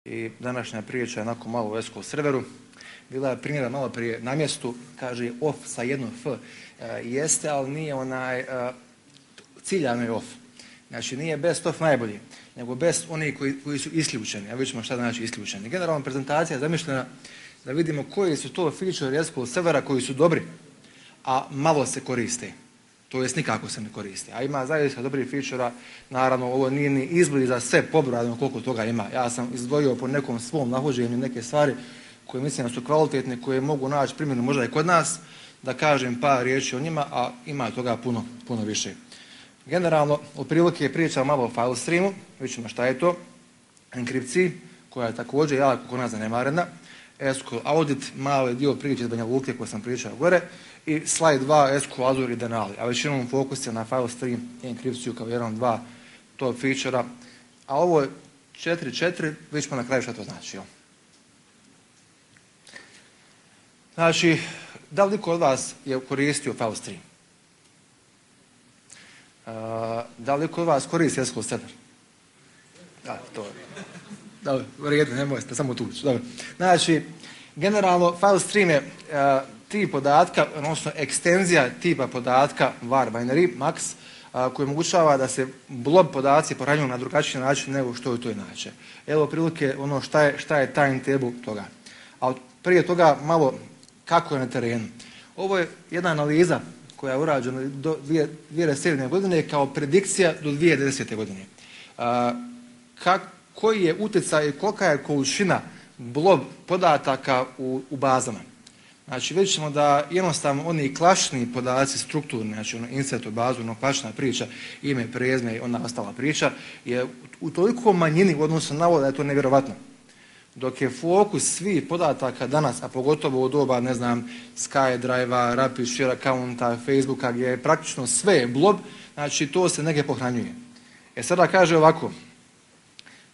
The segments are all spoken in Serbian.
I današnja priča je onako malo u SQL serveru. Bila je primjera malo prije na mjestu, kaže off sa jednom F. Jeste, ali nije ciljano je off. Znači nije best of najbolji, nego best oni koji su isključeni. A vidjet ćemo šta znači isključeni. Generalna prezentacija je zamišljena da vidimo koji su to feature SQL servera koji su dobri, a malo se koriste. To jest nikako se ne koriste. A ima zaista dobrih feature-a. Naravno, ovo nije ni izbliza za sve pobrojano koliko toga ima. Ja sam izdvojio po nekom svom nahođenju neke stvari koje mislim da su kvalitetne, koje mogu naći primjenu možda i kod nas, da kažem par riječi o njima, a ima toga puno više. Generalno, otprilike pričam malo o file streamu, vidjet ćemo šta je to, enkripciji, koja je također jako kod nas zanemarena, SQL audit, mali dio priče iz Banja Luke koje sam pričao gore, i slide 2, SQL Azure i Denali, a većinom fokus je na file stream i enkripciju kao jedan od dva top feature-a, a ovo je 4.4, vidjet ćemo na kraju šta to znači. Znači, da li niko od vas je koristio file stream? Da li niko od vas koristi SQL server? Da, to je. Dobro, vrijedno, nemojte samo tući. Dobro. Znači, generalno, file stream je tip podatka, odnosno ekstenzija tipa podatka var binary, max, koji omogućava da se blob podaci pohranjuju na drugačiji način nego što je to inače. Evo prilike ono šta je timetable toga. A prije toga malo kako je na terenu. Ovo je jedna analiza koja je urađena do 2007. godine kao predikcija do 2010. godine. Koji je utjecaj i kolika je količina blob podataka u bazama. Znači vidjet ćemo da jednostavno oni klasični podaci strukturni, znači insert u bazu, klasična priča, ime, prezime i ona ostala priča, je u toliko manjini u odnosu na ovo da je to nevjerovatno. Dok je fokus svih podataka danas, a pogotovo u doba, ne znam, SkyDrive-a, Rapid Share accounta, Facebooka, gdje je praktično sve blob, znači to se negdje pohranjuje. Sada kaže ovako,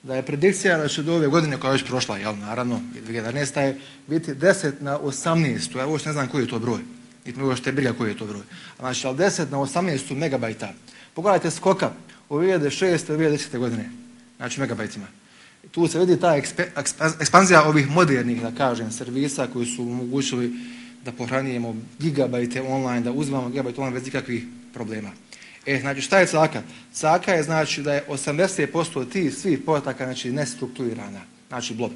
da je predikcija da će do ove godine koja je već prošla, jel, naravno, 2011. je biti 10 na 18, ja uopšte ne znam koji je to broj, niti mi uopšte briga koji je to broj. Znači, ali 10 na 18 megabajta. Pogledajte skoka u 2006. i 2010. godine, znači megabajtima. Tu se vidi ta ekspanzija ovih modernih, da kažem, servisa koji su omogućili da pohranjujemo gigabajte online, da uzimamo gigabajte online bez ikakvih problema. Znači šta je caka? Caka je znači da je 80% tih svih podataka znači nestrukturirana, znači blob.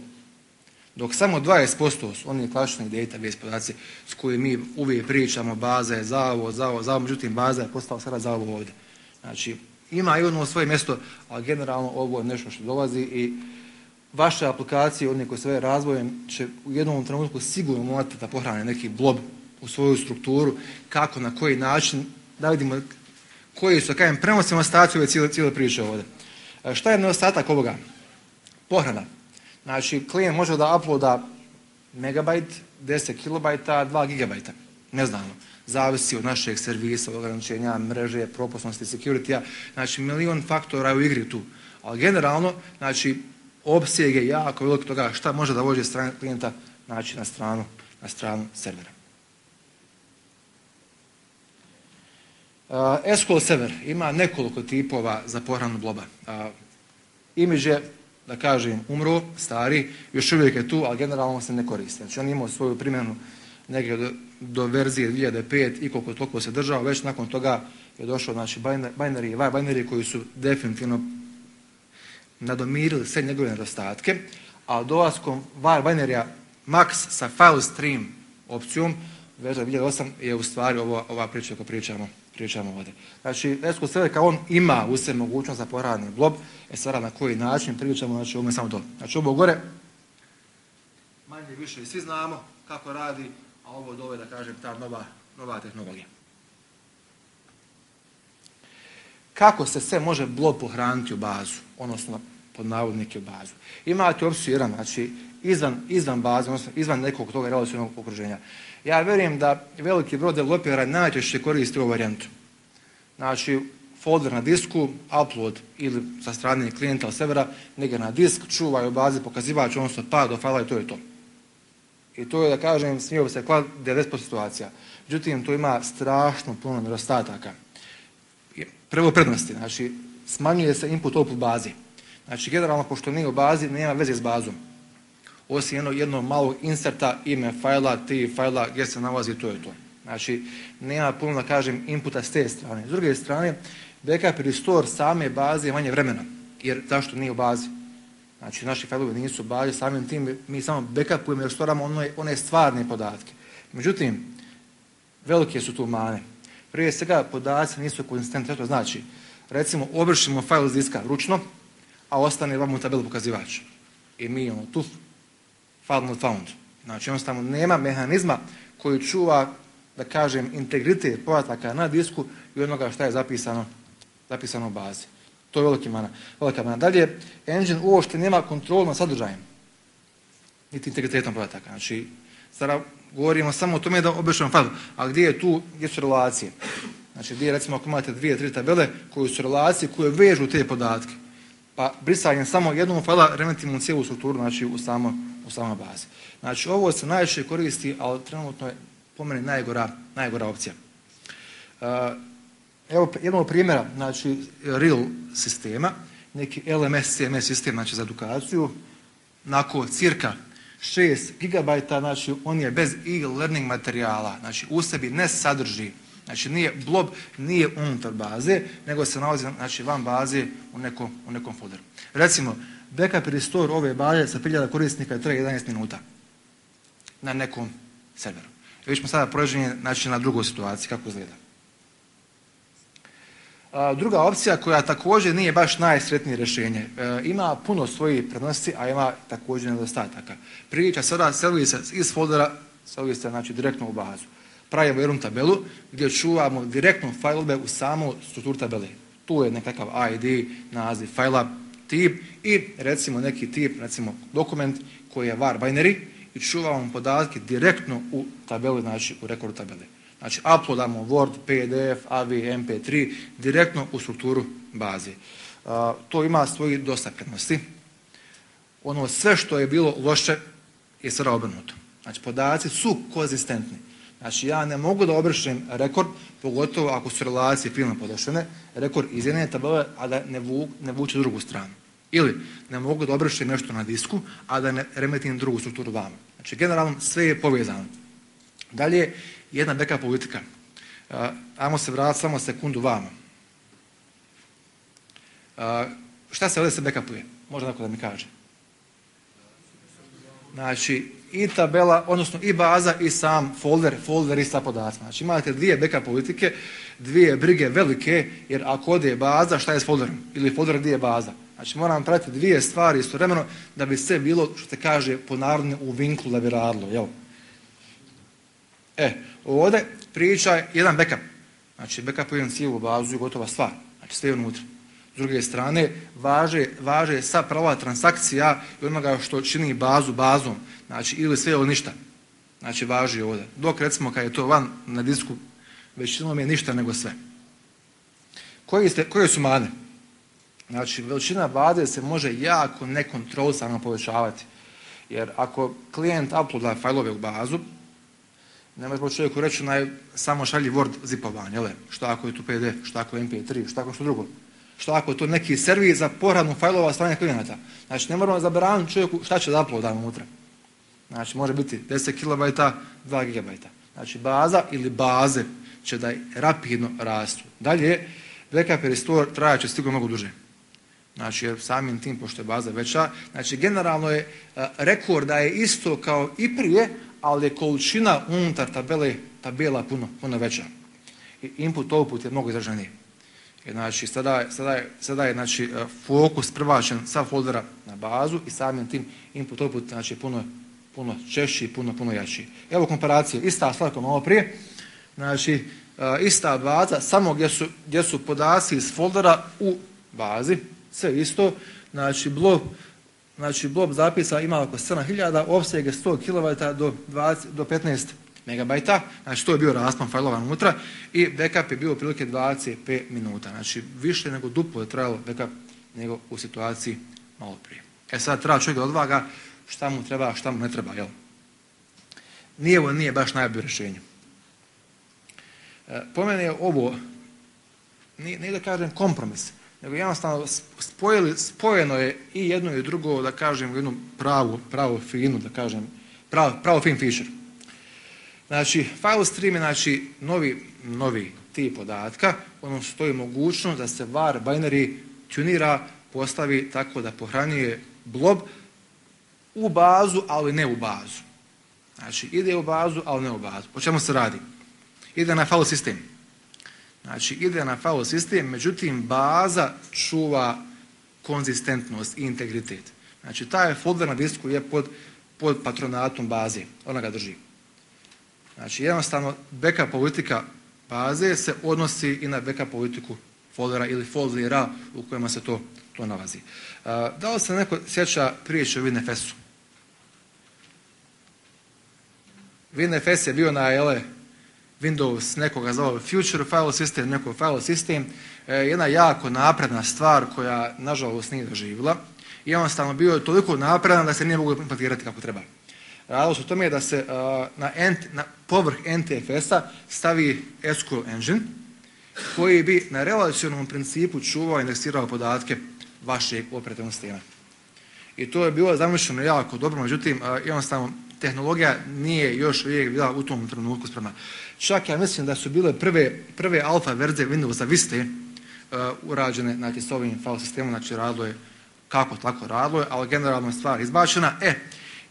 Dok samo 20% su oni klasični database podaci s kojim mi uvijek pričamo, baza je zavod, međutim baza je postala sada zavod ovdje. Znači ima i ono svoje mjesto, ali generalno ovo je nešto što dolazi i vaše aplikacije, oni koji se već razvojem, će u jednom trenutku sigurno morati da pohrane neki blob u svoju strukturu, kako, na koji način, da vidimo koji su, kažem, prenosimo staciju ove cijele priče ovdje. Šta je nedostatak ovoga? Pohrana. Znači, klijent može da uploada megabajt, 10 kilobajta, 2 gigabajta. Neznano. Zavisi od našeg servisa, ograničenja, mreže, propusnosti, security-a. Znači, milion faktora u igri tu. Ali generalno, znači, opseg je jako veliko toga šta može da vođe strane klijenta, znači, na stranu servera. SQL server ima nekoliko tipova za pohranu bloba. Imidž je, da kažem, umro, stari, još uvijek je tu, ali generalno se ne koristi. Znači on imao svoju primjenu negdje do verzije 2005 i koliko toliko se držao, već nakon toga je došao znači, binary koji su definitivno nadomirili sve njegove nedostatke, a dolaskom var binary max sa file stream opcijom verzija 2008 je u stvari ova priča koju pričamo ovdje. Znači, SQL server kao on ima u sebi mogućnost za pohrani blob, sada na koji način pričamo, znači ovo je samo to. Znači ovo gore, manje više svi znamo kako radi, a ovo dole, da kažem, ta nova tehnologija. Kako se sve može blob pohraniti u bazu, odnosno pod navodnike u bazu? Imate opciju 1, znači izvan baze, odnosno izvan nekog toga relacionalnog okruženja. Ja vjerujem da veliki broj developera najčešće koristi ovu varijantu. Znači, folder na disku, upload ili sa strane klijenta ili servera, negdje na disk, čuvaju u bazi pokazivač, odnosno pad do fajla i to je to. I to je, da kažem, smio bi se klad 90% situacija. Međutim, to ima strašno puno nedostataka. Prvo prednosti, znači, smanjuje se input output bazi. Znači generalno pošto nije u bazi nema veze s bazom. Osim jednog malog inserta, ime fajla, tip fajla, gdje se nalazi, to je to. Znači nema puno da kažem inputa s te strane. S druge strane backup i restore same baze je manje vremena. Jer zašto nije u bazi? Znači naši fajlovi nisu u bazi, samim tim mi samo backupujemo i restoramo one stvarne podatke. Međutim, velike su tu mane. Prije svega podaci nisu konzistentni, to znači recimo obrišemo fajl iz diska ručno, a ostane vam u tabelu pokazivač. I mi imamo tu file not found. Znači jednostavno nema mehanizma koji čuva, da kažem, integritet podataka na disku i onoga što je zapisano u bazi. To je velika mana. Dalje, engine uopšte nema kontrolu nad sadržajem, niti integritetom podataka. Znači, sada govorimo samo o tome da obrišemo file, a gdje su relacije? Znači, gdje recimo ako imate 2-3 tabele koje su relacije, koje vežu te podatke, pa brisanjem samo jednog fajla remetimo cijelu strukturu, znači u samoj bazi. Znači, ovo se najviše koristi, ali trenutno je po meni najgora opcija. Evo jednog primjera, znači real sistema, neki LMS, CMS sistem, znači za edukaciju, nakon cirka 6 GB, znači on je bez e-learning materijala, znači u sebi ne sadrži, znači nije blob, nije unutar baze, nego se nalazi znači, van baze u nekom folderu. Recimo, backup i restore ove baze sa 1000 korisnika traje 11 minuta na nekom serveru. Već smo sada prođeni znači, na drugoj situaciji, kako izgleda. Druga opcija koja također nije baš najsretnije rješenje, ima puno svojih prednosti, a ima također nedostataka. Priča sada seli se iz foldera, seli se znači, direktno u bazu. Pravimo jednu tabelu gdje čuvamo direktno fajlove u samu strukturu tabele. Tu je nekakav ID, naziv fajla, tip i recimo neki tip, recimo dokument koji je var binary i čuvamo podatke direktno u tabeli, znači u rekordu tabele. Znači, uploadamo Word, PDF, AV, MP3 direktno u strukturu baze. To ima svoji dosta prednosti. Ono sve što je bilo loše je sada obrnuto. Znači, podaci su konzistentni. Znači, ja ne mogu da obrišem rekord, pogotovo ako su relacije filma podešene, rekord iz jedne tabele, a da ne vuče drugu stranu. Ili ne mogu da obrišem nešto na disku, a da ne remetim drugu strukturu vama. Znači, generalno sve je povezano. Dalje, jedna backup politika. Ajmo se vratiti samo sekundu vama. Šta se ovdje se backupuje? Može neko da mi kaže. Znači, i tabela, odnosno i baza i sam folder i sa podacima. Znači, imate dvije backup politike, dvije brige velike, jer ako ode baza, šta je s folderom? Ili folder gdje je baza? Znači, moram pratiti dvije stvari istovremeno da bi sve bilo, što se kaže, po narodni u vinklu da bi radilo, jel? Ovdje priča je jedan backup. Znači, backupujem cijelu bazu i gotova stvar. Znači, sve je unutra. S druge strane, važe sva prava transakcija i onoga što čini bazu bazom. Znači, ili sve ili ništa. Znači, važi ovdje. Dok, recimo, kad je to van na disku, većinom je ništa nego sve. Koje su mane? Znači, veličina baze se može jako nekontrolisano povećavati. Jer ako klijent uploada fajlove u bazu, ne može čovjeku reći samo šalji Word zipovanje, što ako je tu PDF, što ako je MP3, što ako što drugo. Što ako je to neki servis za pohranu fajlova strane klijenata. Znači ne moramo zabraniti čovjeku šta će da uploada unutra. Znači može biti 10 KB, 2 GB. Znači baza ili baze će da rapidno rastu. Dalje, backup i restore trajat će sigurno mnogo duže. Znači jer samim tim, pošto je baza veća, znači generalno je rekorda je isto kao i prije, ali je količina unutar tabela puno veća. I input-output je mnogo izraženiji. Znači, sada je znači, fokus prebačen sa foldera na bazu i samim tim input-output znači, puno češći i puno jači. Evo komparacije, ista stvar kao malo prije, znači ista baza, samo gdje su podaci iz foldera u bazi, sve isto, znači blob zapisa ima oko 7000, opseg je 100 KB do 15 MB, znači to je bio raspon fajlova unutra i backup je bio otprilike 25 minuta, znači više nego duplo je trajalo backup nego u situaciji malo prije. Sad treba čovjek da odvaga šta mu treba, šta mu ne treba, jel? Nije baš najbolje rješenje. Po meni je ovo, nije da kažem kompromis, nego jednostavno spojeno je i jedno i drugo, da kažem, u jednu pravu finu, da kažem, pravo fin feature. Znači, file stream je znači novi tip podatka, ono stoji mogućnost da se var binary tunira, postavi tako da pohranjuje blob u bazu, ali ne u bazu. Znači, ide u bazu, ali ne u bazu. O čemu se radi? Ide na file sistem. Znači, ide na file sistem, međutim, baza čuva konzistentnost i integritet. Znači, taj folder na disku je pod patronatom baze. Ona ga drži. Znači, jednostavno, backup politika baze se odnosi i na backup politiku foldera ili foldera u kojima se to nalazi. Da li se neko sjeća priče o WinFS-u? WinFS je bio na Windows nekoga zvao Future File System, neko file system, jedna jako napredna stvar koja nažalost nije doživjela. I jednostavno bio je toliko napredan da se nije moglo implementirati kako treba. Radilo se o tome da se na povrh NTFS-a stavi SQL engine koji bi na relacionalnom principu čuvao i indeksirao podatke vašeg operativnog sistema. I to je bilo zamišljeno jako dobro, međutim jednostavno tehnologija nije još uvijek bila u tom trenutku spremna. Čak ja mislim da su bile prve alfa verzije Windowsa Vista urađene znači, s ovim file sistemom, znači radilo je kako tako radilo je, ali generalno je stvar izbačena.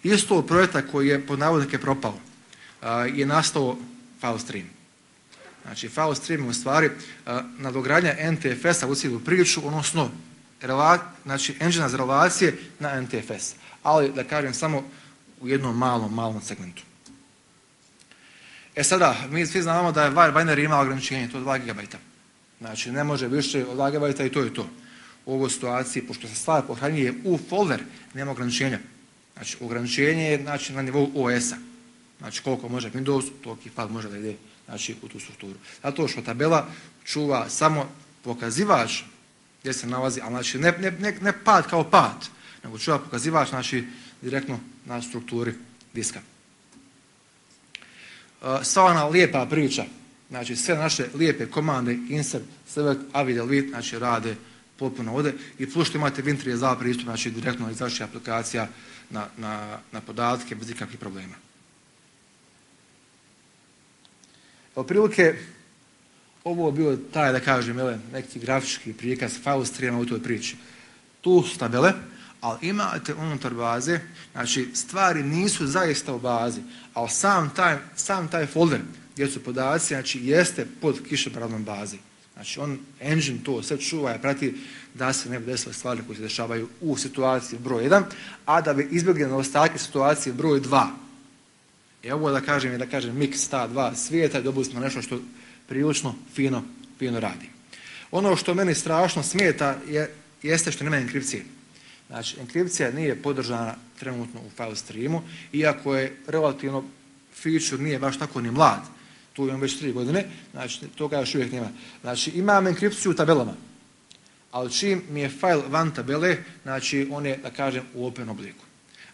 Isto projekta koji je pod navodnike propao je nastao file stream. Znači file stream je u stvari nadogradnja NTFS-a u cijelu priču, odnosno znači engine za relacije na NTFS. Ali da kažem samo u jednom malom segmentu. Sada, mi svi znamo da je var binary ima ograničenje, to je 2 GB. Znači ne može više od 2 GB i to je to. U ovoj situaciji, pošto se stvar pohranjuje u folder, nema ograničenja. Znači ograničenje je znači, na nivou OS-a. Znači koliko može Windows, toliki file može da ide znači, u tu strukturu. Zato što tabela čuva samo pokazivač gdje se nalazi, ali znači ne pad kao pad, nego čuva pokazivač znači, direktno na strukturi diska. Sva ona lijepa priča, znači sve naše lijepe komande, insert, select, avi, delete, znači rade potpuno ovdje i plus što imate Win32 pristup, znači direktno iz vaših aplikacija na podatke bez ikakvih problema. Otprilike, ovo je bio taj, da kažem, neki grafički prikaz file streama u toj priči. Tu su tabele, ali imate unutar baze, znači stvari nisu zaista u bazi, ali sam taj folder gdje su podaci, znači jeste pod kišobranom bazi. Znači engine to sve čuva i prati da se ne bi desile stvari koje se dešavaju u situaciji broj 1, a da bi izbjegli nedostatke situacije broj 2. I ovo da kažem miks ta dva svijeta i dobili smo nešto što prilično fino radi. Ono što meni strašno smeta jeste što nema enkripcije. Znači, enkripcija nije podržana trenutno u file streamu, iako je relativno feature nije baš tako ni mlad. Tu imam već 3 godine, znači toga još uvijek nema. Znači, imam enkripciju u tabelama, ali čim mi je file van tabele, znači on je, da kažem, u open obliku.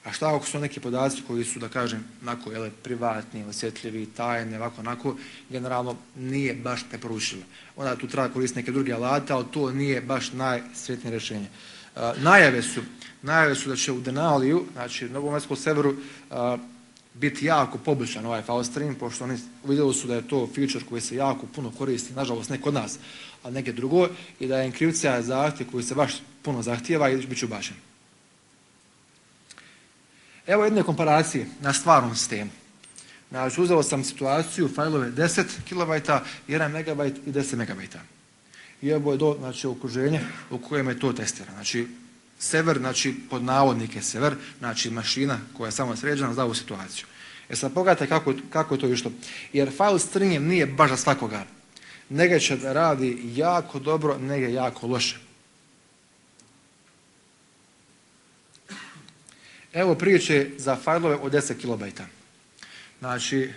A šta ako su neki podaci koji su, da kažem, onako, privatni, osjetljivi, tajni, ovako, generalno nije baš preporučljivo. Onda tu treba koristiti neke druge alate, ali to nije baš najsretnije rješenje. Najave su da će u Denaliju, znači na novom SQL serveru, biti jako poboljšan ovaj file stream, pošto oni vidjeli su da je to feature koji se jako puno koristi, nažalost ne kod nas, a neke drugo, i da je enkripcija zahtjev koji se baš puno zahtijeva i bit će ubačen. Evo jedne komparacije na stvarnom sistemu. Znači, uzeo sam situaciju, fajlove 10 KB, 1 MB i 10 MB. I ovo je znači, okruženje u kojem je to testirano. Znači, server, znači, pod navodnike server, znači mašina koja je samo sređena za ovu situaciju. Sad pogledajte kako je to išlo. Jer file stream nije baš za svakoga. Nege će da radi jako dobro, nege jako loše. Evo priče za fajlove od 10 KB. Znači,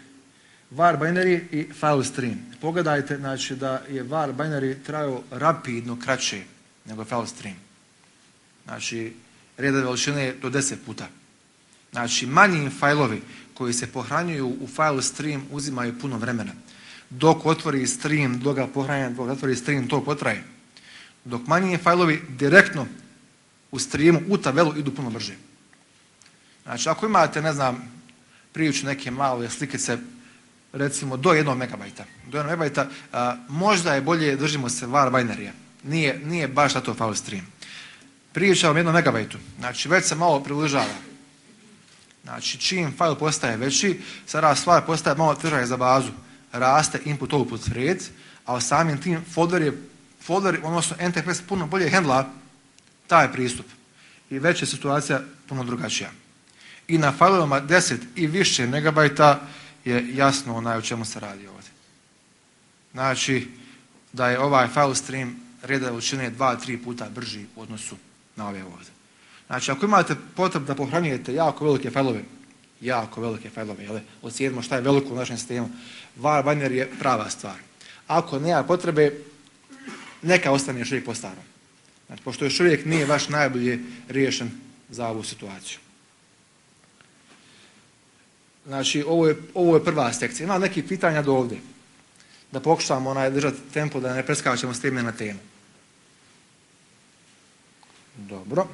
var binary i file stream. Pogledajte znači, da je var binary trajao rapidno kraće nego file stream. Znači, reda veličine do 10 puta. Znači, manji fajlovi koji se pohranjuju u file stream uzimaju puno vremena. Dok otvori stream, dok ga pohranja, dok otvori stream, to potraje. dok manji fajlovi direktno u streamu, u tabelu idu puno brže. Znači, ako imate, ne znam, priču neke male slikice, recimo do 1 megabajta. Do 1 megabajta možda je bolje držimo se var binaryja. Nije baš na to file stream. Pričam o 1 megabajtu. Znači, već se malo približava. Znači, čim file postaje veći, sada stvar postaje malo teža za bazu. Raste input-output red, a samim tim folder, odnosno NTFS puno bolje handla taj pristup. I već je situacija puno drugačija. I na failovima 10 i više megabajta je jasno o čemu se radi ovdje. Znači, da je ovaj file stream reda veličine 2-3 puta brži u odnosu na ove ovdje. Znači, ako imate potrebu da pohranjujete jako velike failove, ocijenimo šta je veliko u našem sistemu, var binary je prava stvar. Ako nema potrebe, neka ostane još uvijek po starom. Znači, pošto još uvijek nije baš najbolje riješen za ovu situaciju. Znači, ovo je prva sekcija. Ima nekih pitanja do ovdje. Da pokušamo držati tempo, da ne preskačemo s teme na temu. Dobro.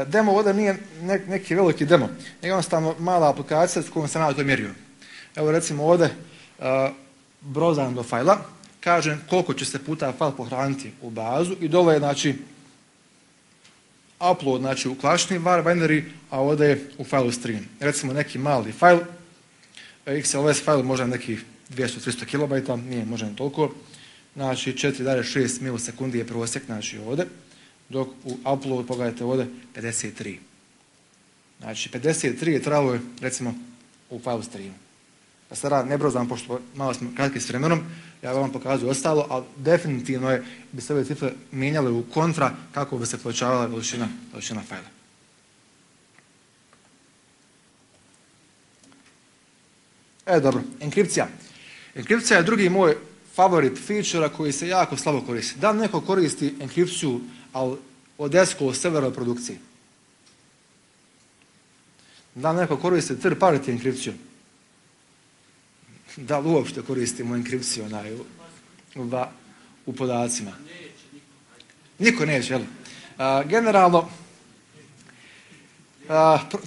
Demo ovdje nije neki veliki demo. Jednostavno mala aplikacija s kojom sam ja to mjerio. Evo recimo ovdje brozam do fajla, kažem koliko će se puta fajl pohraniti u bazu i dole je znači upload znači u klasični var binary, a ovdje je u file stream. Recimo neki mali fajl, XLS fajl možda nekih 200-300 kilobajta, nije možda toliko, znači 4,6 milisekundi je prosjek znači ovdje, dok u upload pogledajte ovdje 53. Znači 53 je trebalo recimo u file streamu. Da sada ne brozam, pošto malo smo kratki s vremenom, ja vam pokazujem ostalo, ali definitivno bi se ove cifre mijenjale u kontra kako bi se povećavala veličina fajla. Dobro, enkripcija. Enkripcija je drugi moj favorit feature koji se jako slabo koristi. Da neko koristi enkripciju, ali od SQL serverove produkcije. Da neko koristi third party enkripciju. Da li uopšte koristimo enkripciju u podacima? Niko neće, jel? Generalno,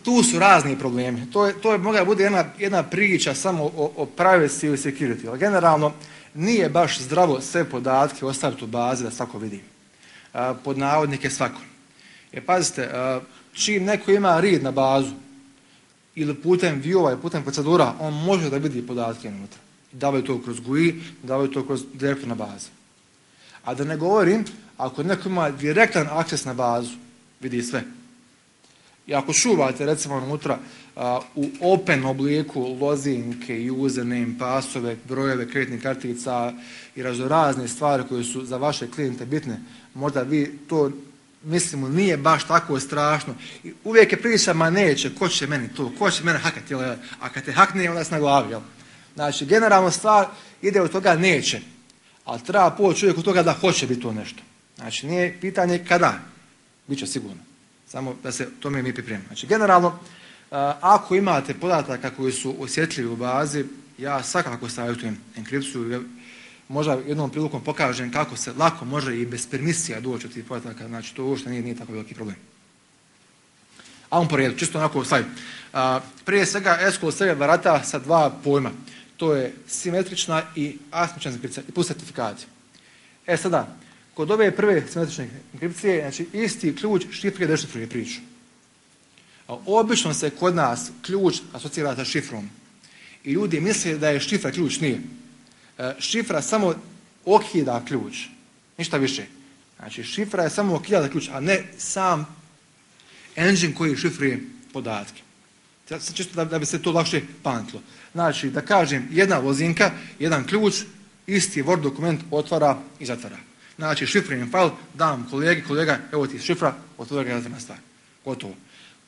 tu su razni problemi. To je mogla bude jedna priča samo o privacy i security. Ali generalno, nije baš zdravo sve podatke ostaviti u bazi da svako vidi. Pod navodnike svako. Pazite, čim neko ima read na bazu, ili putem view-ova i putem procedura, on može da vidi podatke unutra. Davaju to kroz GUI, davaju to kroz direktno na bazu. A da ne govorim, ako neko ima direktan akces na bazu, vidi sve. I ako čuvate recimo unutra u open obliku lozinke, username, pasove, brojeve kreditnih kartica i razne stvari koje su za vaše klijente bitne, možda vi to mislimo nije baš tako strašno. I uvijek je priča, ma neće, ko će meni to, ko će mene hakati, a kad te hakne, onda si na glavi. Jel? Znači, generalno stvar ide od toga neće, ali treba poći uvijek od toga da hoće biti to nešto. Znači, nije pitanje kada, bit će sigurno, samo da se tome mi pripremimo. Znači, generalno, ako imate podataka koji su osjetljivi u bazi, ja svakako savjetujem enkripciju. Možda jednom prilikom pokažem kako se lako može i bez permisija doći od tih podataka, znači to uopšte nije tako veliki problem. Ajmo po redu, čisto onako slajd. Prije svega SQL server barata sa dva pojma. To je simetrična i asimetrična enkripcija i plus certifikati. Sada, kod ove prve simetrične enkripcije, znači isti ključ šifruje dešifruje priču. Obično se kod nas ključ asocira sa šifrom. I ljudi misle da je šifra ključ, nije. Šifra samo okida ključ, ništa više. Znači, šifra je samo okida ključ, a ne sam engine koji šifruje podatke. Čisto da bi se to lakše pamtilo. Znači, da kažem, jedna lozinka, jedan ključ, isti Word dokument otvara i zatvara. Znači, šifrujem file, dam kolega, evo ti šifra, otvara ga zatvorna stvar. Gotovo.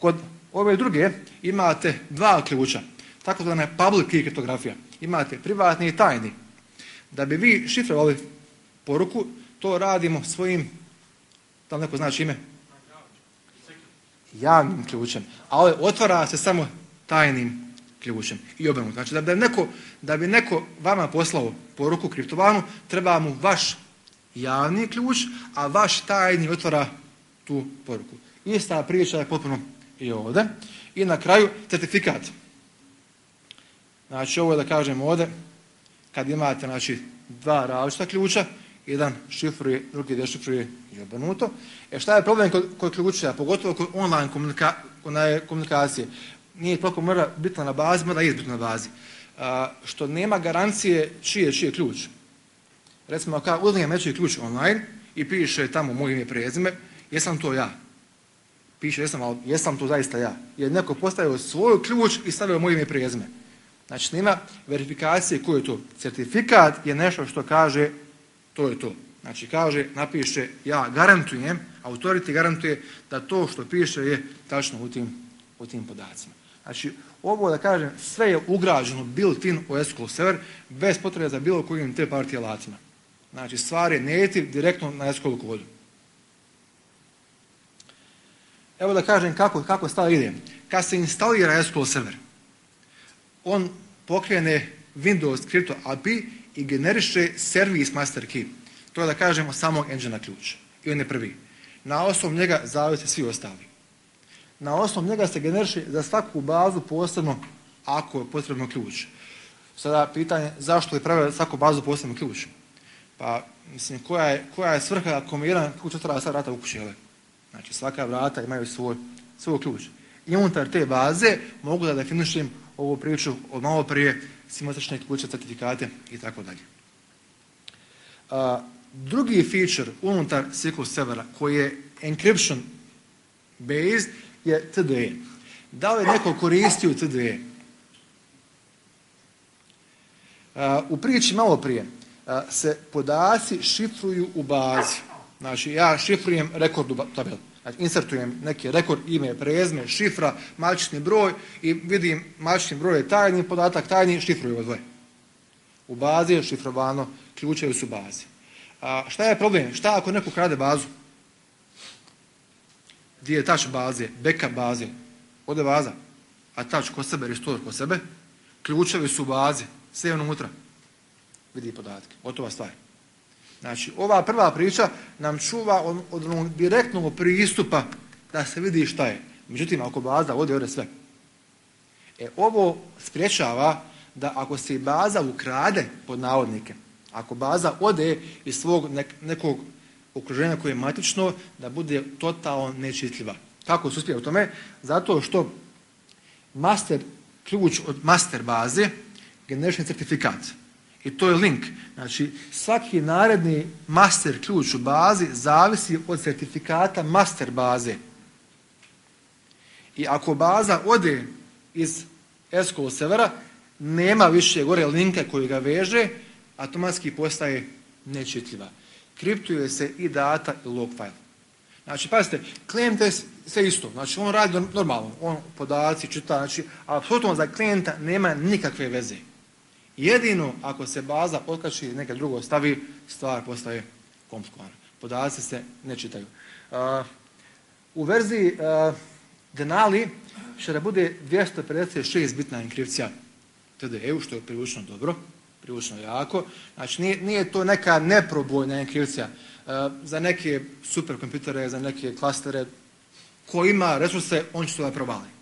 Kod ove druge imate dva ključa, takozvana public key kriptografija. Imate privatni i tajni. Da bi vi šifrovali poruku, to radimo svojim, da li neko znači ime? Javnim ključem. Ali otvara se samo tajnim ključem. I obrnuto. Znači da bi neko vama poslao poruku kriptovanu, treba mu vaš javni ključ, a vaš tajni otvara tu poruku. Ista priča je potpuno i ovdje. I na kraju certifikat. Znači ovo je da kažem ovdje, kad imate znači, dva različita ključa, jedan šifruje, drugi dešifruje i obrnuto. Šta je problem kod ključa, pogotovo kod online komunikacije? Nije toliko mora bitna na bazi, mora je bitna na bazi. Što nema garancije čiji je ključ. Recimo, ako uzmem nečiji ključ online i piše tamo moje ime i prezime, jesam to ja? Piše jesam, ali jesam to zaista ja? Jer neko postavio svoj ključ i stavio moje ime i prezime. Znači, nema verifikacije koji je to. Certifikat je nešto što kaže to je to. Znači, kaže, napiše ja garantujem, autority garantuje da to što piše je tačno u tim podacima. Znači, ovo da kažem, sve je ugrađeno built-in u SQL server bez potrebe za bilo kojim te partije alatima. Znači, stvar je native direktno na SQL kodu. Evo da kažem kako stvar ide. Kad se instalira SQL server, on pokrene Windows Crypto API i generiše servis master key. To je da kažemo samog engine ključ. I on je prvi. Na osnovu njega zavise svi ostali. Na osnovu njega se generiše za svaku bazu posebno ako je potrebno ključ. Sada pitanje zašto je pravio svaku bazu posebno ključ? Pa mislim koja je svrha ako mi jedan ključ otvara sva vrata u kući? Znači svaka vrata imaju svoj ključ. I unutar te baze mogu da definišem ovu priču od malo prije simetrične ključe, certifikate i tako dalje. Drugi feature unutar SQL servera koji je encryption based je TDE. Da li neko koristio TDE? U priči malo prije se podaci šifruju u bazi. Znači ja šifrujem rekord u tabeli. Znači insertujem neki rekord, ime, prezime, šifra, matični broj i vidim matični broj je tajni podatak, tajni šifruju dvoje. U bazi je šifrovano, ključevi su u bazi. Šta je problem? Šta ako neko krade bazu? Gdje je touch baze, backup baze? Ode baza, a touch kod sebe, restore kod sebe, ključevi su u bazi, sve unutra. Vidi podatke, gotova stvar. Znači, ova prva priča nam čuva od onog direktnog pristupa da se vidi šta je. Međutim, ako baza ode sve. Ovo spriječava da ako se baza ukrade, pod navodnike, ako baza ode iz svog nekog okruženja koje je matično, da bude totalno nečitljiva. Kako se uspije u tome? Zato što master ključ od master baze generiše certifikat. I to je link. Znači, svaki naredni master ključ u bazi zavisi od certifikata master baze. I ako baza ode iz SQL servera, nema više gore linka koji ga veže, automatski postaje nečitljiva. Kriptuje se i data i log file. Znači, pazite, klijent je sve isto. Znači, on radi normalno. On podaci čita, znači, apsolutno za klijenta nema nikakve veze. Jedino ako se baza otkači i neka drugo stavi, stvar postaje komplikovana. Podaci se ne čitaju. U verziji Denali će da bude 256 bitna enkripcija TDE-u, što je prilično dobro, prilično jako. Znači nije to neka neprobojna enkripcija. Za neke superkomputere, za neke klastere, ko ima resurse, on će to da provali.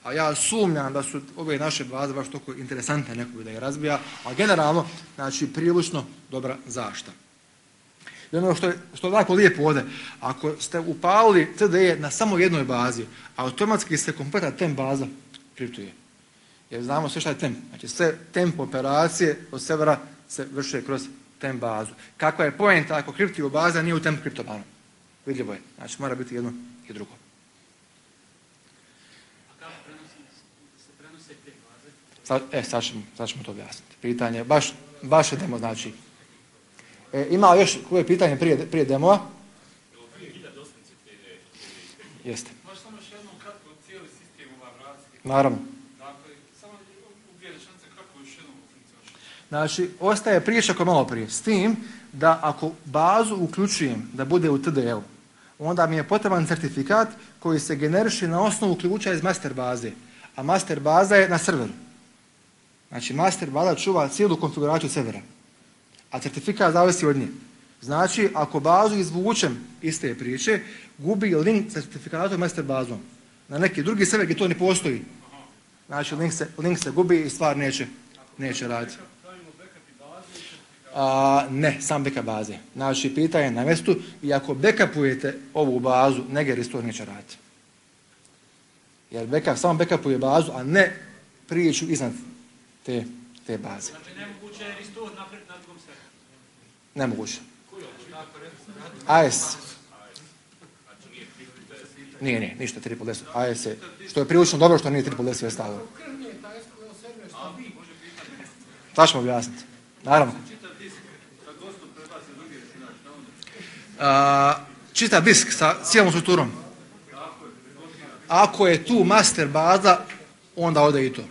A ja sumnjam da su ove naše baze baš toliko interesantne nekog da je razbija, a generalno, znači, prilično dobra zaštita. I ono što je tako lijepo ovdje, ako ste upalili TDE na samo jednoj bazi, automatski se kompletna temp baza kriptuje. Jer znamo sve šta je temp. Znači, sve temp operacije od servera se vrše kroz temp bazu. Kakva je poenta ako kriptuje baza nije u temp kriptobanu? Vidljivo je. Znači, mora biti jedno i drugo. Sad ćemo to objasniti. Pitanje, baš je demo, znači. Ima još koje pitanje prije demova? Jeste. Možeš samo još jednom kratko cijeli sistem vratiti? Naravno. Dakle, samo u dvije rečenice kako još jednom funkcioniše. Znači, ostaje priča kao malo prije. S tim da ako bazu uključujem da bude u TDE-u, onda mi je potreban certifikat koji se generiše na osnovu ključa iz master baze. A master baza je na serveru. Znači, master baza čuva cijelu konfiguraciju servera. A certifikat zavisi od nje. Znači, ako bazu izvučem iz te priče, gubi link sa certifikatom master bazom. Na neki drugi server gdje to ne postoji. Znači, link se gubi i stvar neće raditi. Ne, sam backup baze. Znači, pitanje na mjestu i ako backupujete ovu bazu, negdje restore neće raditi. Jer samo backupuje bazu, a ne priču iznad te baze. Znači, nemoguće je restore na drugom serveru? Nemoguće. AS. Nije, ništa triple S. AS je, što je prilično dobro što nije triple S stavio. To ćemo objasniti. Naravno. Čitav disk sa cijelom strukturom. Ako je tu master baza, onda ode i to.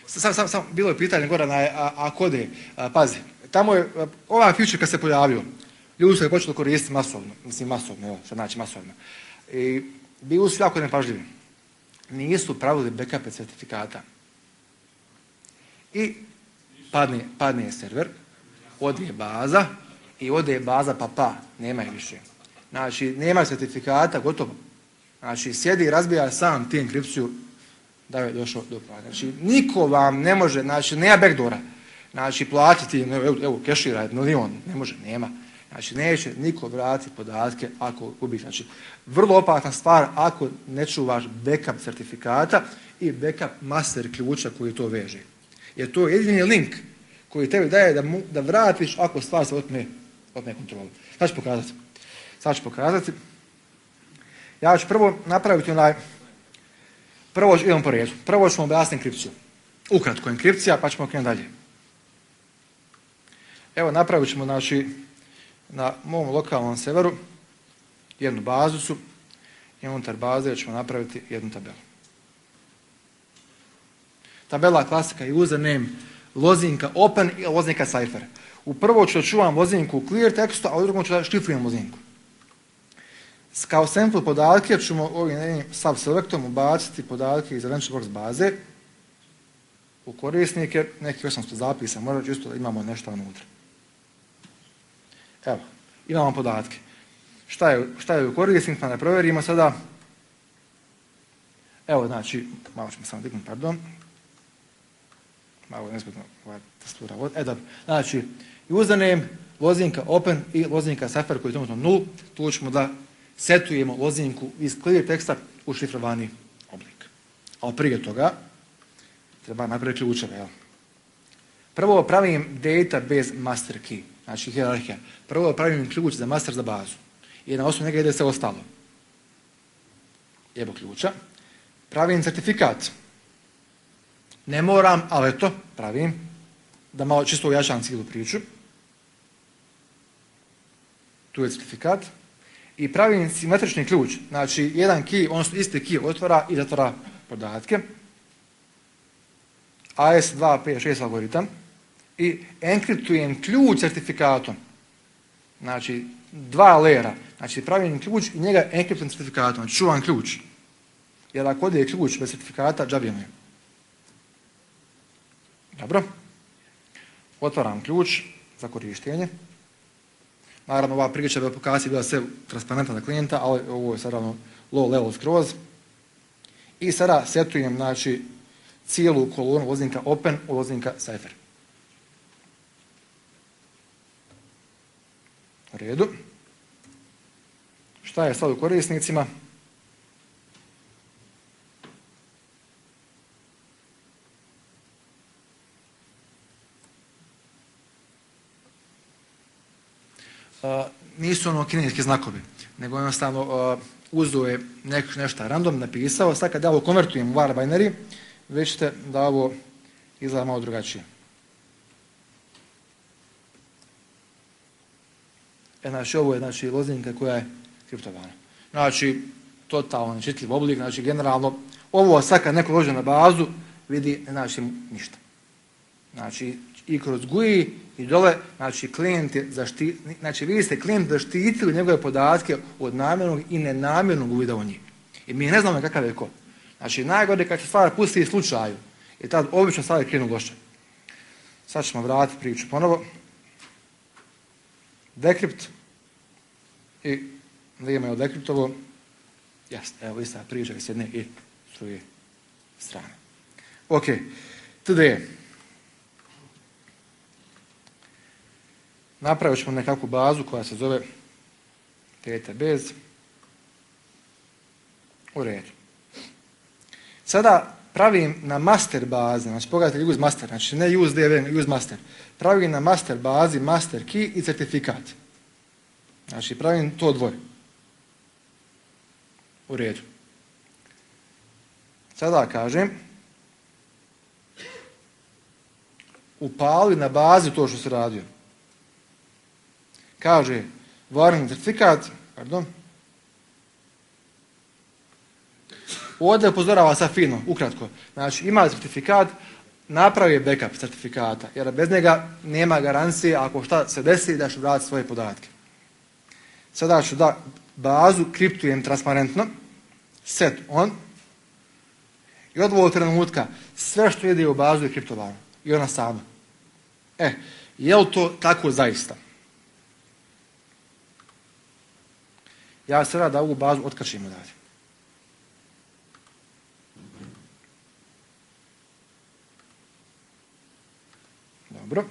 Samo bilo je pitanje gore ako ode, pazi, tamo je, ovaj feature kad se pojavio, ljudi su ga počeli koristiti masovno, evo, što znači masovno. I bili su jako nepažljivi. Nisu pravili backupe certifikata. I padne server, ode baza pa, nema je više. Znači, nema certifikata, gotovo. Znači, sjedi i razbija sam ti enkripciju da je došao do plana. Znači, niko vam ne može, znači, nema backdoora. Znači, platiti, evo, kešira milion, ne može, nema. Znači, neće niko vratiti podatke ako gubiš. Znači, vrlo opasna stvar ako ne čuvaš backup certifikata i backup master ključa koji to veže. Jer to je jedini link koji tebi daje da vratiš ako stvar se otme kontrolu. Sad ću pokazati. Ja ću prvo napraviti prvo idemo po redu. Prvo ćemo objasniti enkripciju. Ukratko enkripcija, pa ćemo krenuti dalje. Evo, napravit ćemo, znači, na mom lokalnom serveru jednu bazicu i unutar baze ćemo napraviti jednu tabelu. Tabela klasika je username, lozinka open i lozinka cipher. U prvo ću da čuvam lozinku u clear tekstu, a u drugom ću da šifrujem lozinku. Kao sample podatke ćemo ovim subselectom ubaciti podatke iz Adventure Works baze u korisnike, neki 800 zapisa, možda čisto da imamo nešto unutra. Evo, imamo podatke. Šta je u korisnik, pa ne provjerimo sada. Evo, znači, malo ćemo samo dignuti, pardon. Malo je nezgodno ova testura. Dobro, znači, username, lozinka open i lozinka cipher koji je trenutno 0. Tu ćemo da setujemo lozinku iz clear teksta u šifrovani oblik. Ali prije toga treba napraviti ključeve. Jel? Prvo pravim database master key, znači hijerarhija. Prvo pravim ključ za master za bazu. I na osnovu njega ide sve ostalo. Evo ključa. Pravim certifikat. Ne moram, ali eto, pravim. Da malo čisto ujačam cijelu priču. Tu je certifikat. I pravim simetrični ključ. Znači, jedan key, odnosno isti key otvara i zatvara podatke. AS256 algoritam. I enkriptujem ključ certifikatom. Znači, 2 lera. Znači, pravim ključ i njega enkriptujem certifikatom. Znači, čuvam ključ. Jer ako ode ključ bez certifikata, džabijemo je. Dobro. Otvaram ključ za korištenje. Naravno, ova priča bi aplikacija bila sve transparentna za klijenta, ali ovo je sad ravno low level skroz. I sada setujem, znači, cijelu kolonu lozinka open u lozinka cipher. U redu. Šta je sad u korisnicima? Nisu ono kineski znakovi, nego jednostavno uzeo je nešto random, napisao. Sad kad ja ovo konvertujem u var binary, već ćete da ovo izgleda malo drugačije. Znači, ovo je lozinka koja je kriptovana. Znači, totalno nečitljiv oblik, znači generalno, ovo sad kad neko dođe na bazu, vidi, ne znači ništa. Znači, i kroz GUI i dole, znači, klijent je znači, vi ste klijent zaštitili njegove podatke od namjernog i nenamjernog uvida u njih. I mi ne znamo kakav je ko. Znači, najgore kad se stvar pusti slučaju, i tad obično stvari krenu loše. Sad ćemo vratiti priču ponovo. dekript i vrijeme je dekriptovo. Jasno, evo ista priča s jedne i s druge strane. Ok, today. Napravit ćemo nekakvu bazu koja se zove database. U redu. Sada pravim na master bazi, znači pogledajte use master, znači ne use dv, use master. Pravim na master bazi master key i certifikat. Znači pravim to dvoje. U redu. Sada kažem upali na bazi to što se radio. Kaže warning certifikat, pardon. Ovdje upozorava sa fino, ukratko. Znači ima certifikat, napravi backup certifikata, jer bez njega nema garancije ako šta se desi da ću vratiti svoje podatke. Sada ću da bazu kriptujem transparentno, set on, i od ovog trenutka sve što ide u bazu je kriptovano. I ona sama. Je li to tako zaista? Ja sada da ovu bazu otkačim odavde. Dobro.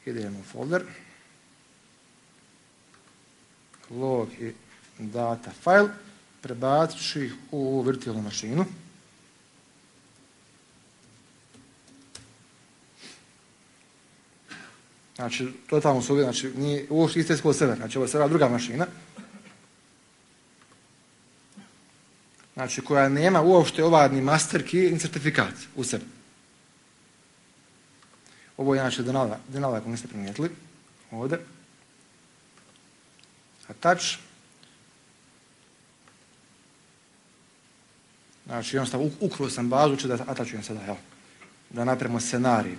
Idemo u folder. Log i data file. Prebacit ću ih u virtualnu mašinu. Znači, totalno su uvijek, znači, nije uopšte isto iskolo server, znači ovo je server druga mašina. Znači, koja nema uopšte ovaj ni master key, ni certifikat u sebi. Ovo je znači Denala, ako niste primijetili. Ovdje. Attach. Znači, jednostavno, ukruo sam bazu, ću da atačujem sada, evo. Da napravimo scenarij.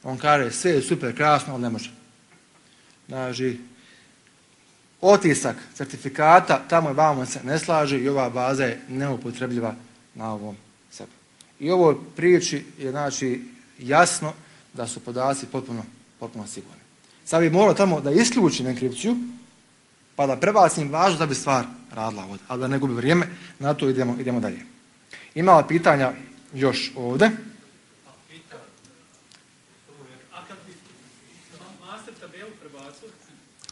On kaže, sve je super, krasno, ali ne može. Znači, otisak certifikata, tamo i vamo se ne slaže i ova baza je neupotrebljiva na ovom sebi. I ovo priči je, znači, jasno da su podaci potpuno sigurni. Sad bi morao tamo da isključim enkripciju, pa da prebacim bazu da bi stvar radila ovdje. Ali da ne gubi vrijeme, na to idemo dalje. Imala pitanja još ovdje.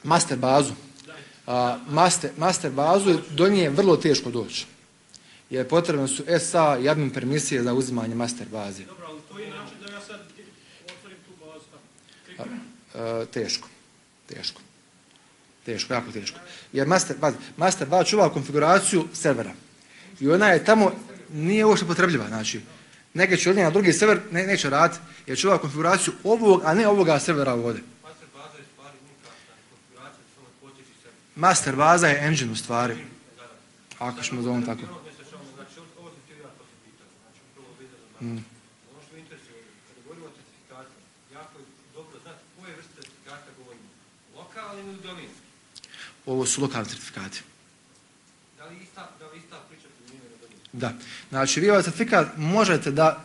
Master bazu. Master bazu do nje je vrlo teško doći. Jer potrebno su SA i admin permisije za uzimanje master baze. Dobro, ali to je način da ja sad otvorim tu bazu. Teško, jako teško. Jer master baza čuva konfiguraciju servera. I ona je tamo, nije uopšte potrebljiva. Znači, neke će od nje na drugi server neće raditi, jer čuva konfiguraciju ovog, a ne ovoga servera ovdje. Master baza je engine u stvari. Ako ćemo zovem tako. Ono što interesuje, kada govorimo o certifikatima, jako je dobro znati koje vrste certifikata govorimo. Lokalni ili dominski? Ovo su lokalni certifikati. Da li ista priča primjenjuje na dominski? Da. Znači, vi ovaj certifikat možete da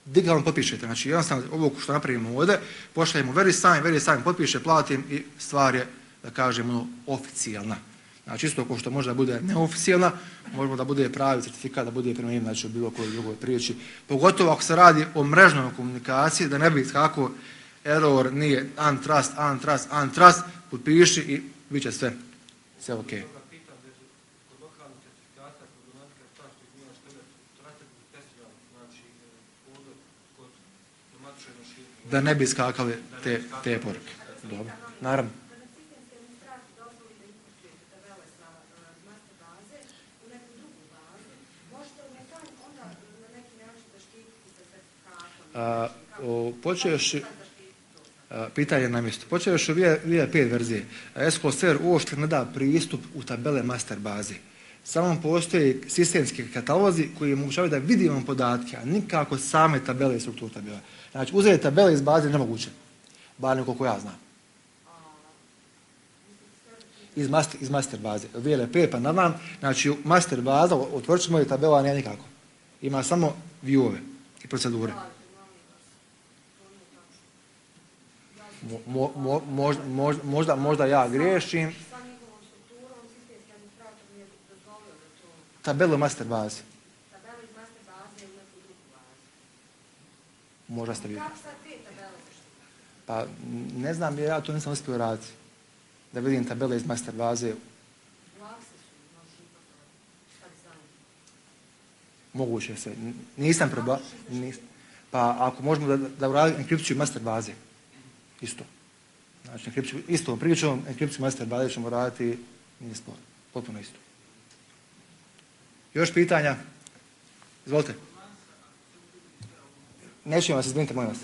digitalno potpišete. Znači, jednostavno ovo što napravimo ovdje, pošaljemo very sign, potpiše, platim i stvar je, da kažemo, oficijalna. Znači, isto kao što može da bude neoficijalna, možemo da bude pravi certifikat, da bude primjenjiv, znači u bilo kojoj drugoj priči. Pogotovo ako se radi o mrežnoj komunikaciji, da ne bi kako error nije untrust, potpiši i bit će sve ok. Da ne bi skakali te poruke. Dobro, naravno. Pitanje na mjestu. Počeo još u VIA5 verzije. SQL Server uopšte ne da pristup u tabele master bazi. Samo postoje sistemski katalozi koji omogućavaju da vidimo podatke, a nikako same tabele i strukturu tabela. Znači, uzeti tabele iz baze je nemoguće. Bar nekoliko ja znam. Iz master baze. VLP pa nadam. Znači, master baza, otvorit ćemo je tabela, ne nikako. Ima samo view-ove i procedure. Možda ja griješim. Sa njihovom strukturom sistemski administrator nije dozvolio da to Tabelu master baze. tabela iz master baze ili neku drugu bazu. Možda ste vi. Kako sad te tabele zaštiti? Pa ne znam jer ja to nisam uspio raditi. Da vidim tabele iz master baze. Lakse su, možeš importovati šta dizajn. Moguće se. Nisam probao. Pa ako možemo da uradimo enkripciju master baze. Isto. Znači, istom pričom, enkripciju master baze ćemo raditi, nije spor. Potpuno isto. Još pitanja? Izvolite. Nećemo vas izvinite, molim vas.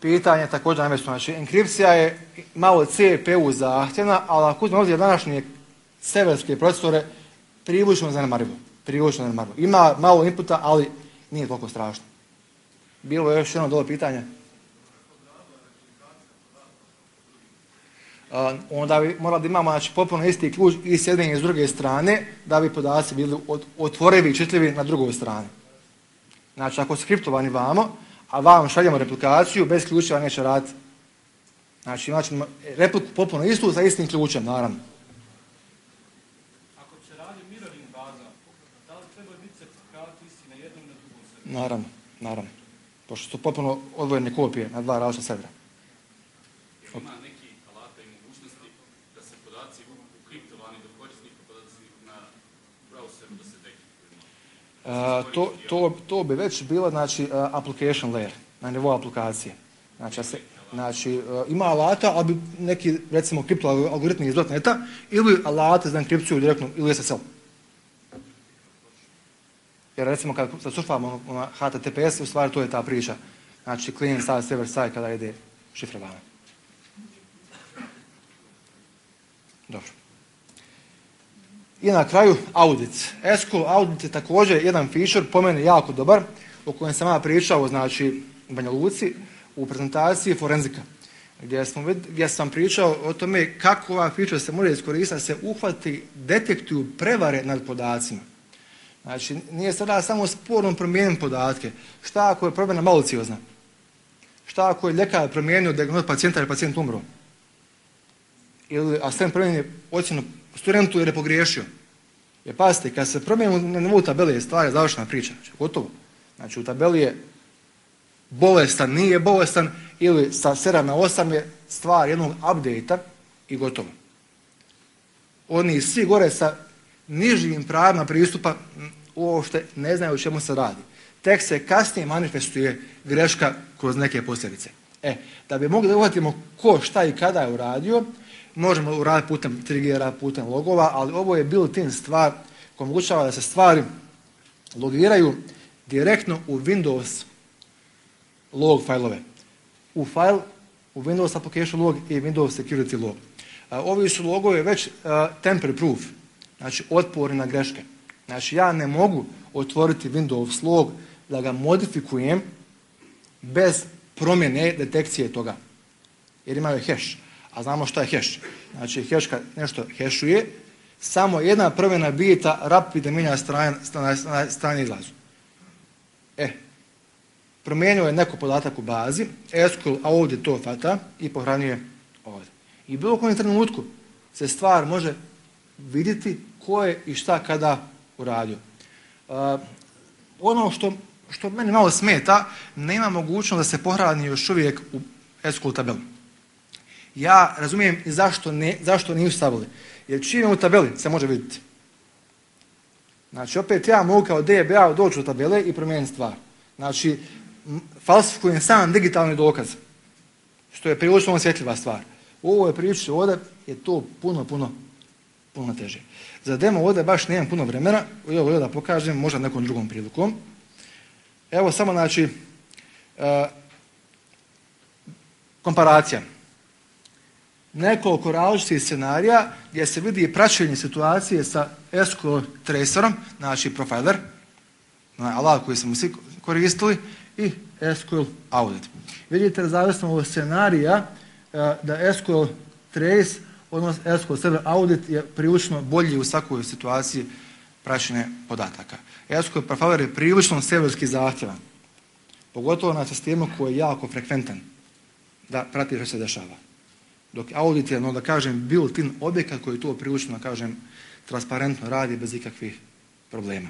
Pitanje također namjesto. Znači, enkripcija je malo CPU zahtjevna, ali ako uzmemo ovdje današnje severske procesore, privučno zanemarivo. Ima malo inputa, ali nije toliko strašno. Bilo je još jedno dole pitanje. Onda bi morali da imamo znači, potpuno isti ključ i s jedne i s druge strane, da bi podaci bili otvorivi i čitljivi na drugoj strani. Znači, ako skriptovani vamo, a vam šaljemo replikaciju, bez ključeva neće raditi. Znači, imat ćemo repliku potpuno istu sa istim ključem, naravno. Ako se radi mirroring baza, da li treba biti certifikati isti na jednom i na drugom serveru? Naravno. Pošto su potpuno odvojene kopije na dva različita servera. Ima neki alata i mogućnosti da se podaci ukriptovani do korisnika podaci na browseru da se dekriptuju? To bi već bilo znači, application layer, na nivou aplikacije. Znači, ima alata, ali bi neki, recimo, kripto algoritmi iz .NET-a ili alate za enkripciju direktno ili SSL. Jer recimo kad surfamo na HTTPS, u stvari to je ta priča. Znači, client side, server side kada ide šifrovanje. Dobro. I na kraju audit. SQL audit je također jedan feature, po meni jako dobar, o kojem sam ja pričao, znači, u Banja Luci, u prezentaciji forenzika, gdje sam pričao o tome kako ova feature se može iskoristiti da se uhvati, detektuju prevare nad podacima. Znači, nije sada samo sporno promijeniti podatke. Šta ako je promjena maliciozna? Šta ako je ljekar promijenio dijagnozu pacijenta jer pacijent umro? Ili asistent promijenio ocjenu studentu jer je pogriješio? Jer pazite, kad se promijeni na nivou tabeli, stvar je završena priča. Znači, gotovo. Znači, u tabeli je bolestan, nije bolestan, ili sa 7 na 8 je stvar jednog update-a i gotovo. Oni svi gore sa nižim pravima pristupa uopšte ne znaju o čemu se radi. Tek se kasnije manifestuje greška kroz neke posljedice. Da bi mogli da uhvatimo ko, šta i kada je uradio, možemo uraditi putem triggera, putem logova, ali ovo je built-in stvar koja omogućava da se stvari logiraju direktno u Windows log failove. U Windows application log i Windows security log. Ovi su logovi već temporary proof, znači otporni na greške. Znači ja ne mogu otvoriti Windows log da ga modifikujem bez promjene detekcije toga. Jer imaju hash. A znamo šta je hash. Znači hash kad nešto hashuje, samo jedna promjena bita rapidno mijenja strane izlazu. Promijenio je neko podatak u bazi, SQL ovdje to fata i pohranjuje ovdje. I bilo kojem trenutku se stvar može vidjeti ko je i šta kada uradio. Ono što meni malo smeta, nema mogućnost da se pohrani još uvijek u SQL tabeli. Ja razumijem i zašto nisu stavili. Jer čim je u tabeli se može vidjeti. Znači opet ja mogu kao DBA doći u tabele i promijeniti stvar. Znači falsifikujem sam digitalni dokaz. Što je prilično osjetljiva stvar. U ovoj priči ovdje je to puno teže. Za demo ovdje baš nemam puno vremena. Evo da pokažem, možda nekom drugom prilikom. Evo samo znači komparacija. Nekoliko različitih scenarija gdje se vidi praćenje situacije sa SQL tracerom, znači profiler, alat koji smo svi koristili, i SQL audit. Vidite da zavisno od scenarija da SQL trace, odnosno SQL server audit je prilično bolji u svakoj situaciji praćenja podataka. SQL profiler je prilično serverski zahtjevan. Pogotovo na sistemu koji je jako frekventan da prati što se dešava. Dok audit je, da kažem, built-in objekat koji to prilično, da kažem, transparentno radi bez ikakvih problema.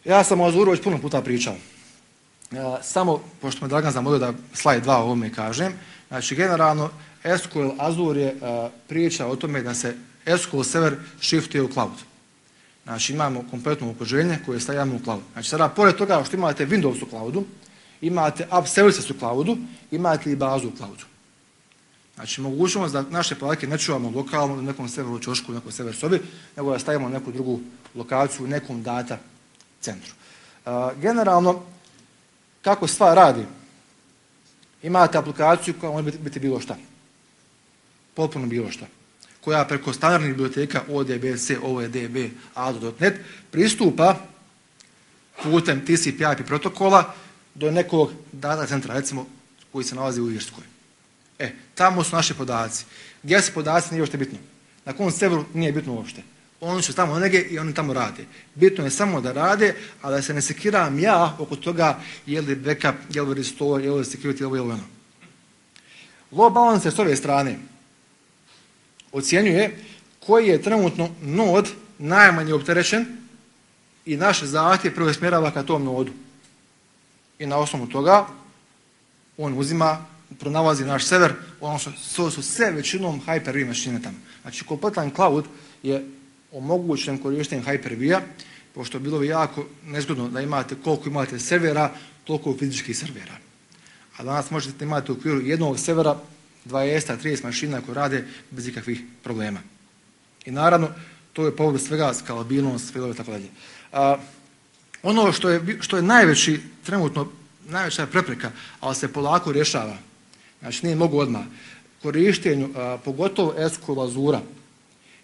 Ja sam o Azuru već puno puta pričao. Samo, pošto me Dragan zamolio da slajd 2 o ovome kažem, znači generalno SQL Azure je priča o tome da se SQL server shiftuje u cloud. Znači imamo kompletno okruženje koje stavljamo u cloud. Znači sada, pored toga što imate Windows u cloudu, imate app services u cloudu, imate i bazu u cloudu. Znači mogućnost da naše podatke ne čuvamo lokalno, u nekom serveru ćošku, u nekom server sobi, nego da stavimo neku drugu lokaciju u nekom data centru. Generalno, kako stvar radi? Imate aplikaciju koja može biti bilo šta. Potpuno bilo šta. Koja preko standardnih biblioteka ODBC, OEDB, ADO.NET pristupa putem TCP/IP protokola do nekog data centra, recimo, koji se nalazi u Irskoj. Tamo su naši podaci. Gdje su podaci nije uopšte bitno. Na kom serveru nije bitno uopšte. Oni su tamo negdje i oni tamo rade. Bitno je samo da rade, a da se ne sekiram ja oko toga je li backup, je li restore, je li security, je li ono. Load balancer s ove strane ocjenjuje koji je trenutno nod najmanje opterećen i naš zahtjev preusmjerava ka tom nodu. I na osnovu toga on uzima, pronalazi naš server, ono što su sve većinom Hyper-V mašine tamo. Znači kompletan cloud je omogućen korištenjem Hyper-V-a, pošto bilo bi jako nezgodno da imate koliko imate servera, toliko fizičkih servera. A danas možete imati u okviru jednog servera 20-30 mašina koje rade bez ikakvih problema. I naravno, to je povod svega skalabilnost, failove i tako dalje. Ono što je najveći, trenutno najveća prepreka, ali se polako rješava, znači nije mogu odmah, korištenju, pogotovo SQL Azura,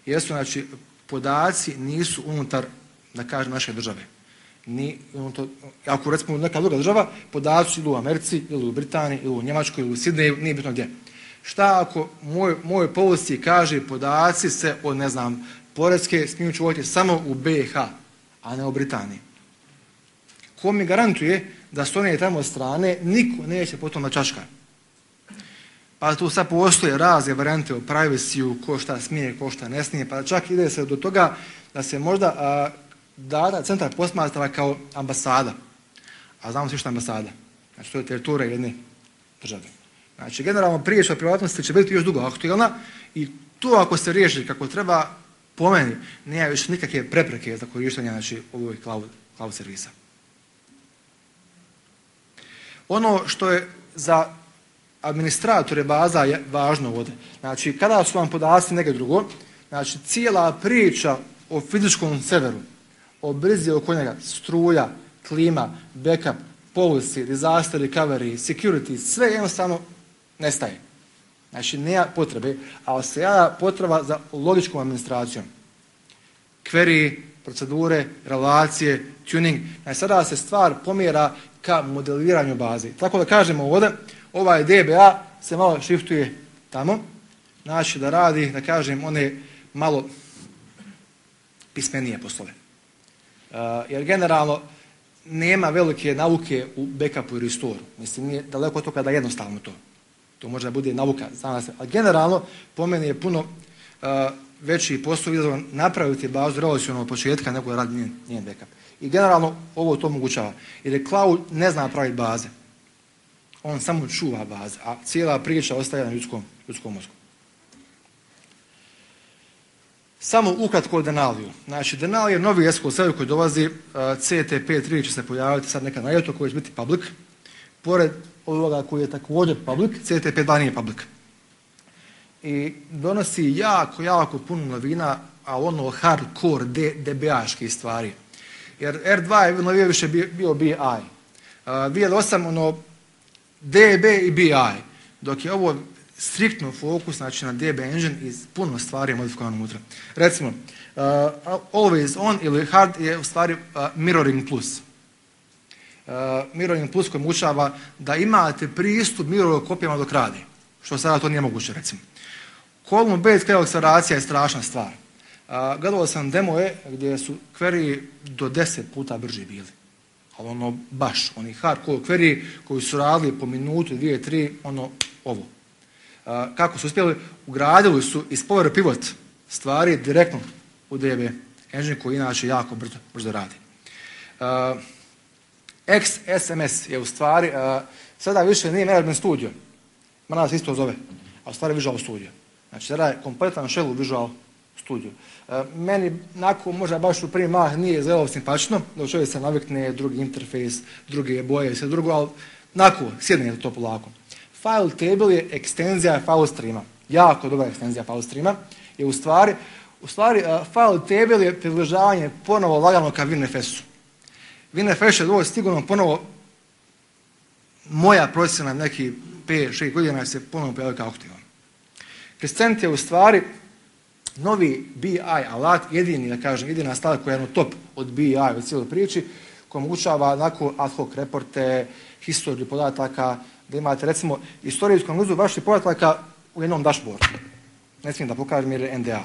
jesu, znači, podaci nisu unutar, da kažem, naše države. Ako recimo neka druga država, podaci ili u Americi, ili u Britaniji, ili u Njemačkoj, ili u Sidneju, nije bitno gdje. Šta ako moj policy kaže podaci se od, ne znam, Poreske smiju čuvati samo u BiH, a ne u Britaniji? Ko mi garantuje da s one tamo strane niko neće potom da čačka? Pa tu sad postoje razne varijante o privacy-u, ko šta smije, ko šta ne smije, pa čak ide se do toga da se možda data centar posmatra kao ambasada. A znamo svi što je ambasada. Znači to je teritorija jedne države. Znači generalno priča o privatnosti će biti još dugo aktualna i to ako se riješi kako treba, po meni, nema više nikakve prepreke za korištenje, znači, ovog cloud servisa. Ono što je za administratore baza je važno ovdje. Znači, kada su vam podaci negdje drugo, znači, cijela priča o fizičkom serveru, o brizi oko njega, struja, klima, backup, policy, disaster recovery, security, sve jednostavno nestaje. Znači, nema potrebe, ali se javlja potreba za logičkom administracijom. Query, procedure, relacije, tuning. Znači, sada se stvar pomjera ka modeliranju baze. Tako da kažemo ovdje, ovaj DBA se malo shiftuje tamo, znači da radi, da kažem, one malo pismenije poslove. Jer generalno nema velike nauke u backupu i restoru. Mislim, nije daleko od toga da je jednostavno to. To može da bude nauka, ali generalno po meni je puno veći posao izazovan napraviti bazu relacionalno od početka nego da radi njen backup. I generalno ovo to omogućava. Jer je cloud ne zna praviti baze. On samo čuva baze, a cijela priča ostaje na ljudskom mozgu. Samo ukratko o Denaliju. Znači, Denali je novi SQL server koji dolazi, CTP3 će se pojaviti sad neka na ljeto koji će biti public. Pored ovoga koji je također public, CTP2 nije public. I donosi jako puno novina, a ono hardcore DBA-ške stvari. Jer R2 je novije više bio BI. VL8 ono DB i BI, dok je ovo striktno fokus, znači na DB engine i puno stvari je modifikovano unutra. Recimo, always on ili hard je u stvari mirroring plus. Mirroring plus koji omogućava da imate pristup mirror kopijama dok radi, što sada to nije moguće, recimo. Column based query akceleracija je strašna stvar. Gledao sam demoje gdje su query do 10 puta brži bili. ali ono baš, oni hardcore query koji su radili po minutu, 2, 3, ono ovo. Kako su uspjeli? Ugradili su iz Power Pivot stvari direktno u DB engine koji inače jako brzo radi. XSMS je u stvari, sada više nije Management Studio, mana se isto zove, a u stvari Visual Studio. Znači sada je kompletan shell u Visual Studio. Meni nakon možda baš u prvi mah nije zelo simpatično, da čovjek se navikne, drugi interfejs, druge boje i sve drugo, ali nakon sjedne to polako. File table je ekstenzija file streama. Jako dobra ekstenzija file streama. Je u stvari file table je približavanje ponovo lagano ka WinFS-u. WinFS je dovoljno sigurno ponovo moja procjena neki 5-6 godina se ponovo pojavio kao aktivan. Crescent je u stvari novi BI alat, jedina stvar koja je top od BI u cijeloj priči, koja omogućava onako ad hoc reporte, historiju podataka, da imate recimo istorijsku analizu vaših podataka u jednom dashboardu. Ne smijem da pokažem jer je NDA.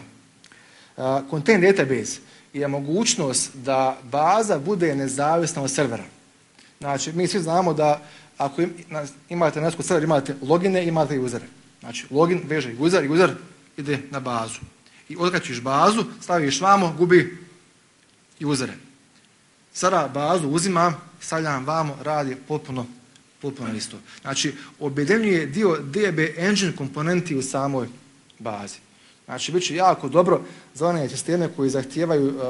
Content database je mogućnost da baza bude nezavisna od servera. Znači, mi svi znamo da ako imate na server, imate logine, imate usere. Znači, login veže user i user ide na bazu. I otkačiš bazu, staviš vamo, gubi usere. Sada bazu uzimam, stavljam vamo, radi potpuno isto. Znači, objedinjuje dio DB engine komponenti u samoj bazi. Znači, bit će jako dobro za one sisteme koji zahtijevaju,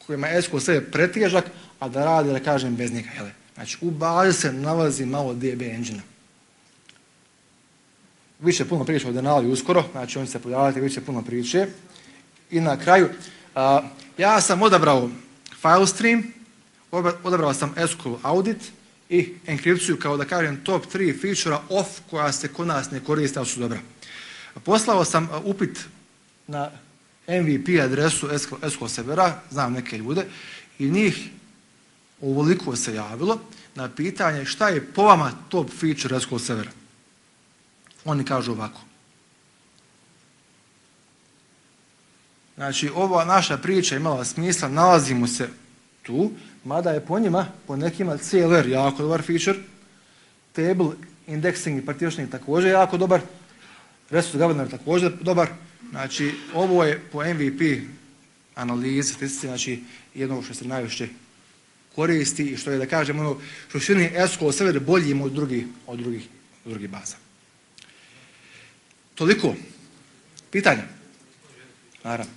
kojima SQL Server je pretežak, a da radi, da kažem, bez njega. Znači, u bazi se nalazi malo DB engine-a. Više puno priče o Denali uskoro, znači on će se pojaviti, više puno priče. I na kraju, ja sam odabrao file stream, odabrao sam SQL audit i enkripciju kao da kažem top 3 feature off koja se kod nas ne koriste, ali su dobra. Poslao sam upit na MVP adresu SQL servera, znam neke ljude, i njih ovoliko se javilo na pitanje šta je po vama top feature SQL servera. Oni kažu ovako. Znači, ova naša priča imala smisla, nalazimo se tu, mada je po njima, po nekima CLR jako dobar feature, table indexing i partitioning također jako dobar, resource governor također dobar. Znači, ovo je po MVP analizi, statistici, znači jedno što se najviše koristi i što je, da kažem, ono što čini SQL server boljim od drugih baza. Toliko. Pitanja? Naravno.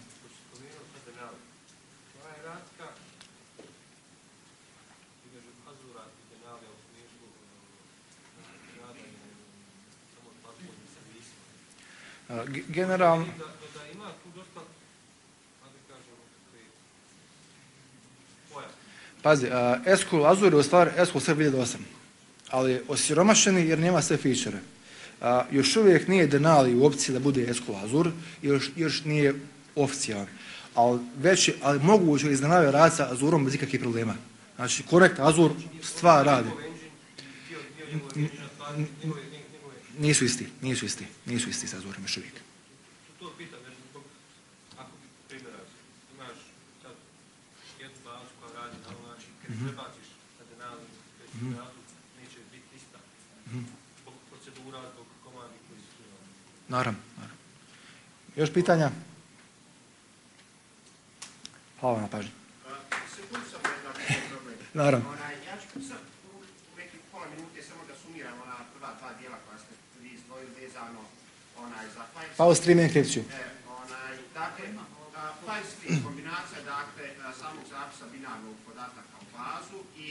Generalno... Da ima tu dosta, Pazi, SQL Azure je u stvari SQL Server 2008, ali osiromašeni jer nema sve feature. Još uvijek nije Denali u opciji da bude SQL Azure, još nije oficijalan. Ali moguće iznenavio raditi sa Azurom bez ikakvih problema. Znači, Connect Azure stvar radi. Nisu isti sa Azurom još uvijek. To pitam, jer ako primjera, imaš sad jednu bazu koja radi na ovaj način, kad prebaciš na Denali, neće biti ista. Zbog procedura, zbog komandi koji su tu. Naravno. Još pitanja? Hvala na pažnji. Sekund samo jedan problem. Naravno. Ja ću sad u nekih pola minute samo da sumiram ona prva dva dijela koja ste vi izdvojili vezano za file stream i enkripciju. Dakle, file stream, kombinacija samog zapisa binarnog podataka u bazu i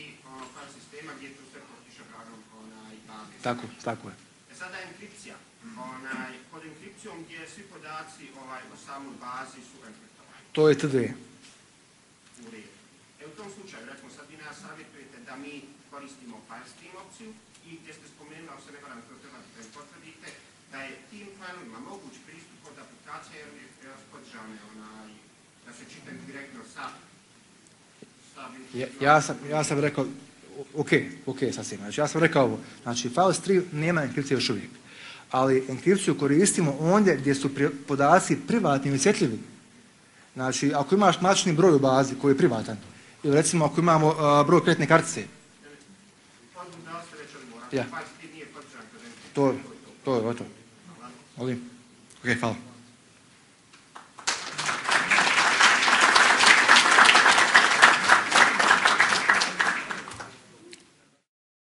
file sistema gdje je tu sve pod kišobranom baze. Tako je. Sada enkripcija. Pod enkripcijom gdje svi podaci o samoj bazi su enkriptovani. To je TDE. U redu. U tom slučaju, recimo, sad vi nas savjetujete da mi koristimo file stream opciju i gdje ste spomenuli, ako se ne varam, to treba da potvrdite, da je tim fileovima moguć pristup od aplikacije jer podržane da se čitaju direktno sa Ja sam rekao, ok, sasvim. Znači, ja sam rekao ovo. Znači, file stream nema enkripcije još uvijek. Ali enkripciju koristimo ondje gdje su podaci privatni i osjetljivi. Znači, ako imaš matični broj u bazi koji je privatan Ili recimo ako imamo broj kreditne kartice. Ja. To je gotovo. Molim. Ok, hvala.